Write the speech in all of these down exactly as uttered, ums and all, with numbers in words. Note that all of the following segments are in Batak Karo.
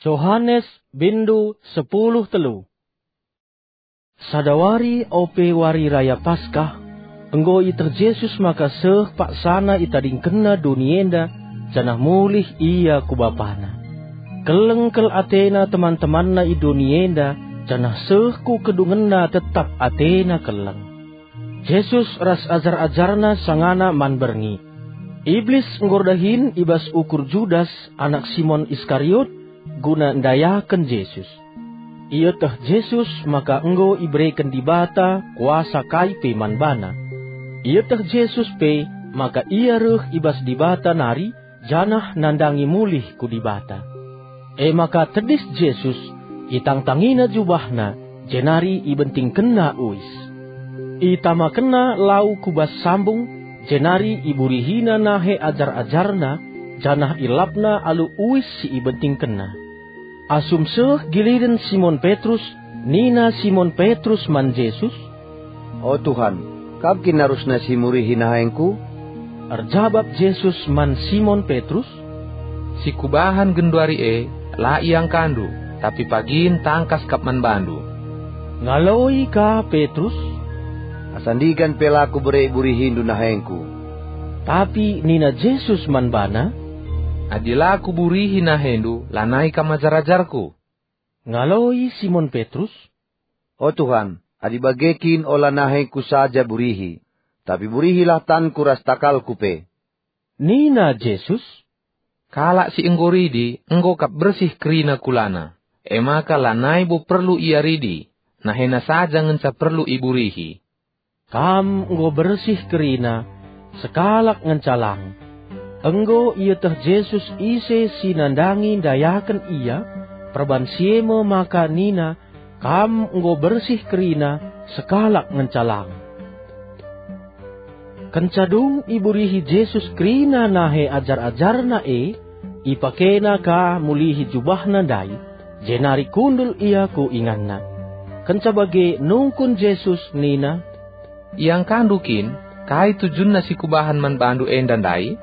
Johanes, bindu sepuluh telu. Sada wari ope wari raya Paskah, enggo ieteh Jesus maka seh paksana itadingkenna doni enda, janah mulih ia ku Bapana. Keleng kal atena teman-temanna i doni enda, janah seh ku kedungenna tetap atena keleng. Jesus ras ajar-ajarna sangana man berngi. Iblis enggo erdahin i bas ukur Judas, anak Simon Iskariot, guna ndayaken Jesus. Ieteh Jesus maka enggo ibereken Dibata kuasa kai pe man bana. Ieteh Jesus pe maka ia reh i bas Dibata nari, janah nandangi mulih ku Dibata. E maka tedis Jesus, itangtangina jubahna, jenari ibentingkenna uis. Itamakenna lau ku bas sambung, jenari iburihina nahe ajar-ajarna, janah ilapna alu uis si ibentingkenna. Asum seh giliden Simon Petrus, nina Simon Petrus man Jesus, "O Tuhan, Kam kin arusna si murihi nahengku?" Erjabap Jesus man Simon Petrus, "Si Kubahan genduari e, la iangkandu, tapi pagin tangkas kap man bandu." Ngaloi ka Petrus, "Asa ndigan pe la Kubere iburihindu nahengku." Tapi nina Jesus man bana, "Adi la Kuburihi nahendu, lanai kam ajar-ajarKu." Ngaloi Simon Petrus, "O Tuhan, adi bage kin ola nahengku saja burihi, tapi burihilah tanku ras takalku pe." Nina Jesus, "Kalak si enggo ridi enggo kap bersih kerina kulana, e maka lanai bo perlu ia ridi, nahena saja ngenca perlu iburihi." Kam enggo bersih kerina, sekalak ngenca lang. Enggo ieteh Jesus ise si nandangi ndayaken ia, perban si e me maka nina, "Kam enggo bersih kerina, sekalak ngenca lang." Kenca dung iburihi Jesus kerina nahe ajar-ajarNa e, ipakena ka mulihi jubahna ndai, jenari kundul ia ku inganna. Kenca bage nungkun Jesus nina, "Iangkandu kin kai tujunna si Kubahan man bandu enda ndai?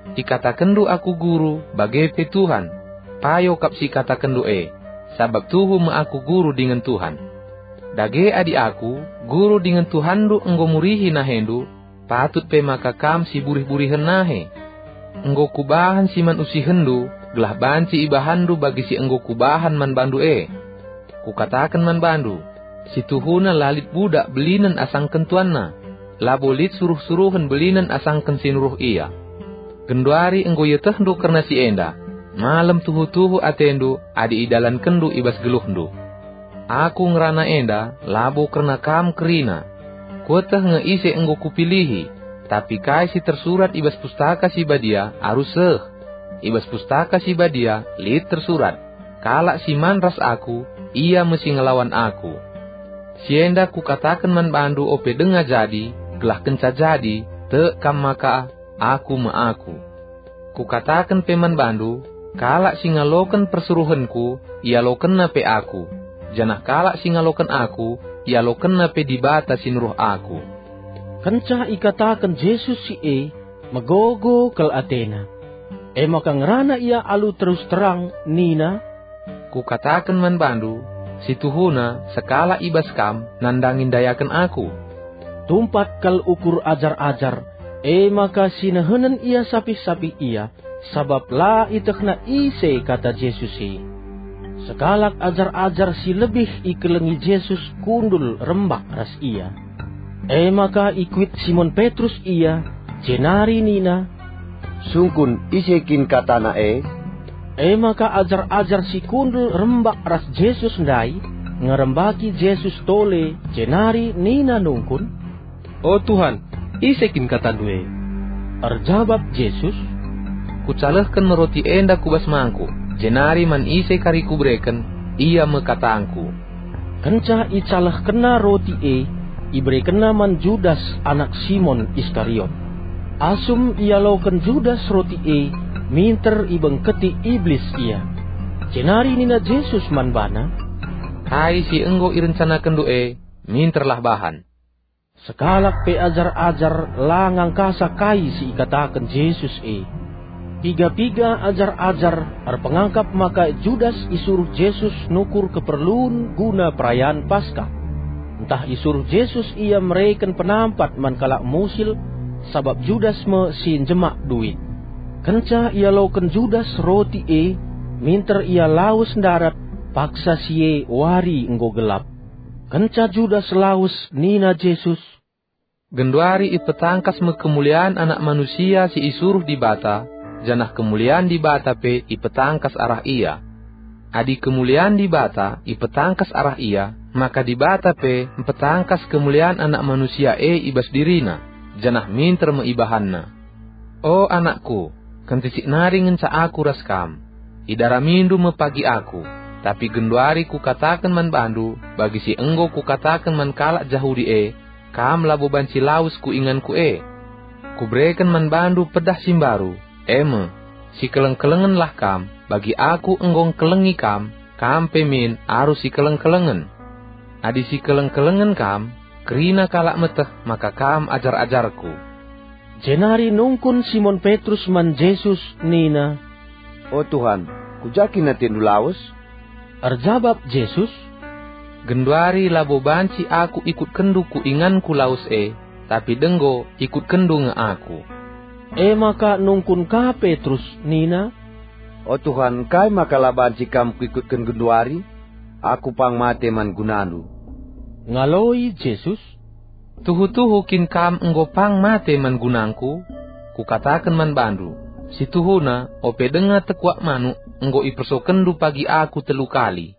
Ikatakenndu Aku Guru, bage pe Tuhan. Payo kap si ikatakenndu e, sabap tuhu me Aku Guru dingen Tuhan. Dage adi Aku, Guru dingen Tuhanndu enggo murihi nahendu, patut pe maka kam siburih-burihen nahe. Enggo Kubahan si man usihenndu, gelah banci ibahanndu bagi si enggo Kubahan man bandu e. Kukataken man bandu, si tuhuna la lit budak belinen asangken tuanna, labo lit suruh-suruhen belinen asangken si nuruh ia. Genduari enggo ietehndu kerna si enda, malem tuhu-tuhu atendu adi idalankenndu i bas geluhndu. Aku ngerana enda labo kerna kam kerina. Kueteh nge ise enggo Kupilihi, tapi kai si tersurat i bas Pustaka Si Badia arus seh. I bas Pustaka Si Badia lit tersurat, 'Kalak si man ras Aku, ia me si ngelawan Aku.' Si enda Kukataken man bandu ope denga jadi, gelah kenca jadi, tek kam maka, Aku me Aku. Kukataken pe man bandu, kalak si ngaloken persuruhenKu, ialokenna pe Aku, janah kalak si ngaloken Aku, ialokenna pe Dibata si nuruh Aku." Kenca ikataken Jesus si e, megogo kal atena. E maka ngerana ia alu terus terang nina, "Kukataken man bandu, si tuhuna sekalak i bas kam nandangi ndayaken Aku." Tumpat kal ukur ajar-ajar, e maka sinehenen ia sapih-sapih ia, sabap la ietehna ise kata Jesus e. Sekalak ajar-ajar si lebih ikelengi Jesus kundul rembak ras ia. E maka ikuit Simon Petrus ia, jenari nina, "Sungkun ise kin katana e?" E maka ajar-ajar si kundul rembak ras Jesus ndai ngerembaki Jesus tole, jenari nina nungkun, "O Tuhan, ise kin katandu e?" Erjabap Jesus, "Kucalehken roti enda ku bas mangkuk, jenari man ise kari Kubereken, ia me katangKu." Kenca icalehkenna roti e, iberekenna man Judas anak Simon Iskariot. Asum ialoken Judas roti e, minter ibengketi Iblis ia. Jenari nina Jesus man bana, "Kai si enggo irencanakenndu e, minterlah bahan." Sekalak pe ajar-ajar la ngangkasa kai si ikataken Jesus e. Piga-piga ajar-ajar erpengakap maka Judas isuruh Jesus nukur keperlun guna perayan Paskah. Ntah isuruh Jesus ia mereken penampat man kalak musil, sabap Judas me si njemak duit. Kenca ialoken Judas roti e, minter ia lawes ndarat, paksa si e wari enggo gelap. Kenca Judas lawes, nina Jesus, "Genduari ipetangkas me kemulian Anak Manusia si isuruh Dibata, janah kemulian Dibata pe ipetangkas arah Ia. Adi kemulian Dibata ipetangkas arah Ia, maka Dibata pe mpetangkas kemulian Anak Manusia e i bas diriNa, janah minter me ibahanNa. O anakku, kentisik nari ngenca Aku ras kam. Idaramindu me pagi Aku, tapi genduari Kukataken man bandu bagi si enggo Kukataken man kalak Jahudi e, kam labo banci lawes ku inganKu e. Kubereken man bandu pedah si mbaru, e me, sikeleng-kelengenlah kam, bagi Aku enggo ngkelengi kam, kam pe min arus sikeleng-kelengen. Adi sikeleng-kelengen kam, kerina kalak meteh maka kam ajar-ajarKu." Jenari nungkun Simon Petrus man Jesus nina, "O Tuhan, ku ja kin atendu lawes?" Erjabap Jesus, "Genduari labo banci Aku ikutkenndu ku inganKu lawes e, tapi denggo ikutkenndu nge Aku." E maka nungkun ka Petrus nina, "O Tuhan, kai maka la banci Kam kuikutken genduari? Aku pang mate man gunandu." Ngaloi Jesus, "Tuhu-tuhu kin Kam enggo pang mate man gunangKu? Kukataken man bandu, si tuhuna, ope denga tekuak manuk enggo ipersokenndu pagi Aku telu kali,